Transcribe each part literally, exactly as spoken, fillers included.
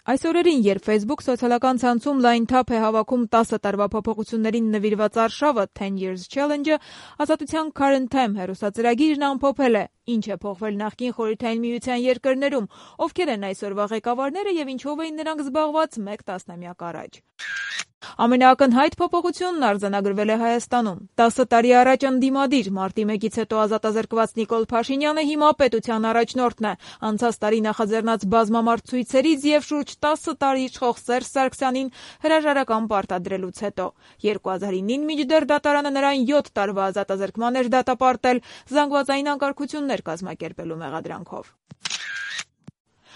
Այս օրերին, երբ Facebook սոցիալական ցանցում լայն թափ է հավաքում տասը տարվա փոփոխություններին նվիրված արշավը ten years challenge-ը, Ազատության Current Time հեռուստածրագիրն ամփոփել է. ինչ է փոխվել նախկին Խորհրդային Միության երկրներում, ովքեր են այսօրվա ղեկավարները եւ ինչով էին նրանք զբաղված մեկ տասնամյակ առաջ։ Ամենաակնհայտ փոփոխությունն արձանագրվել է Հայաստանում։ տասը տարի առաջ ընդդիմադիր մարտի մեկից հետո ազատազրկված Նիկոլ Փաշինյանը հիմա պետության առաջնորդն է։ Անցած տարի նախաձեռնած բազմամարդ ցույցերից եւ շուրջ տասը տարի իշխող Սերժ Սարգսյանին հրաժարական պարտադրելուց հետո երկու հազար ինին մինչդեռ դատարանը նրան յոթ տարվա ազատազրկման էր դատապարտել զանգվածային անկարգություններ կազմակերպելու մեղադրանքով։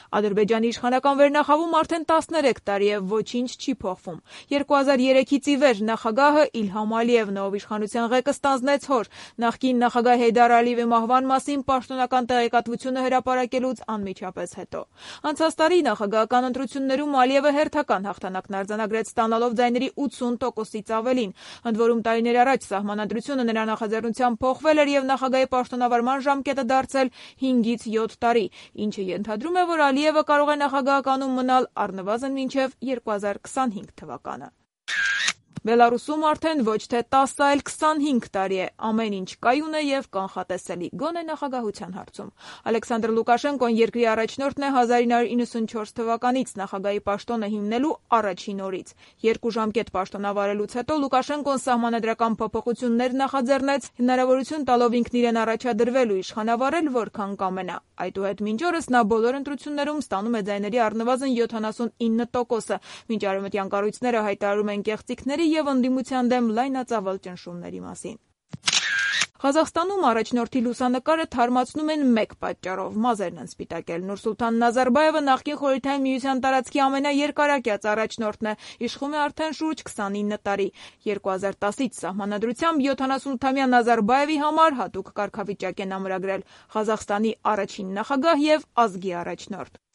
Ադրբեջանի իշխանական վերնախավում արդեն տասներեք տարի է ոչինչ չի փոխվում։ երկու հազար երեքից ի վեր նախագահը Իլհամ Ալիևն ով իշխանության ղեկը ստանձնեց հոր, նախկին նախագահ Հեյդար Ալիևի մահվան մասին պաշտոնական տեղեկատվությունը հրապարակելուց անմիջապես հետո։ Անցած տարի նախագահական ընտրություններում Ալիևը հերթական հաղթանակն արձանագրեց ստանալով ձայների ութսուն տոկոսից ավելին, ընդ որում տարիներ առաջ սահմանադրությունը նրա նախաձեռնությամբ փոխվել էր եւ նախագահի պաշտոնավարման ժամկետը դարձել հինգից յոթ տարի, ինչը ենթադրում է, որ Ալիևը կարող է նախագահականում մնալ առնվազն մինչև երկու հազար քսանհինգ թվականը։ Բելարուսում արդեն ոչ թե տասը, այլ քսանհինգ տարի է ամեն ինչ կայուն է եւ կանխատեսելի, գոնե նախագահության հարցում։ Ալեքսանդր Լուկաշենկոն երկրի առաջնորդն է հազար ինը հարյուր իննսունչորս թվականից նախագահի պաշտոնը հիմնելու առաջին օրից։ Երկու ժամկետ պաշտոնավարելուց հետո Լուկաշենկոն սահմանադրական փոփոխություններ նախաձեռնեց, հնարավորություն տալով ինքն իրեն առաջադրվել ու իշխանավարել որքան կամենա։ Այդուհետ մինչ օրս նա բոլոր ընտրություններում ստանում է ձայների առնվազն յոթանասունինը տոկոսը, մինչ արևմտյան կառույցները հայտարարում են կեղծիքների եւ ընդդիմության դեմ լայնածավալ ճնշումների մասին։ Ղազախստանում առաջնորդի լուսանկարը թարմացնում են մեկ պատճառով՝ մազերն են սպիտակել։ Նուրսուլթան Նազարբաևը նախկին Խորհրդային Միության տարածքի ամենաերկարակյաց առաջնորդն է, իշխում է արդեն շուրջ քսանինը տարի։ երկու հազար տասից սահմանադրությամբ յոթանասունութամյա Նազարբաևի համար հատուկ կարգավիճակ են ամրագրել՝ Ղազախստանի առաջին նախագահ եւ ազգի առաջնորդ։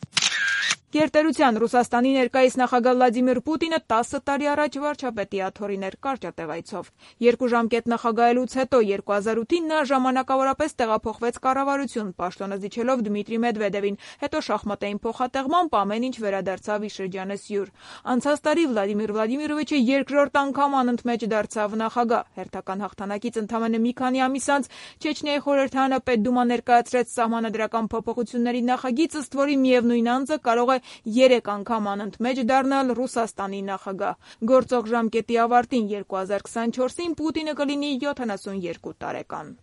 Գերտերության Ռուսաստանի ներկայիս նախագահ Վլադիմիր Պուտինը տասը տարի առաջ վարչապետի աթոռին էր կարճատևայցով։ Երկու ժամկետ նախագահելուց հետո երկու հազար ութին նա ժամանակավորապես տեղափոխվեց կառավարություն, պաշտոնը զիջելով Դմիտրի Մեդվեդևին, հետո շախմատային փոխատեղմամբ ամեն ինչ վերադարձավ իր շրջանը սյուր։ Անցած տարի Վլադիմիր Վլադիմիրովիչը երկրորդ անգամ անընդմեջ դարձավ նախագահ։ Հերթական հաղթանակից ընդամենը մի քանի ամիս անց Չեչնիայի խորհրդարանը Պետդումա ներկայացրեց սահմանադրական փոփոխությունների նախագիծ, ըստ որի միևնույն անձը կարող է երեք անգամ անընդմեջ դառնալ Ռուսաստանի նախագահ։ Գործող ժամկետի ավարտին երկու հազար քսանչորսին Պուտինը կլինի յոթանասունյոթ տարեկան։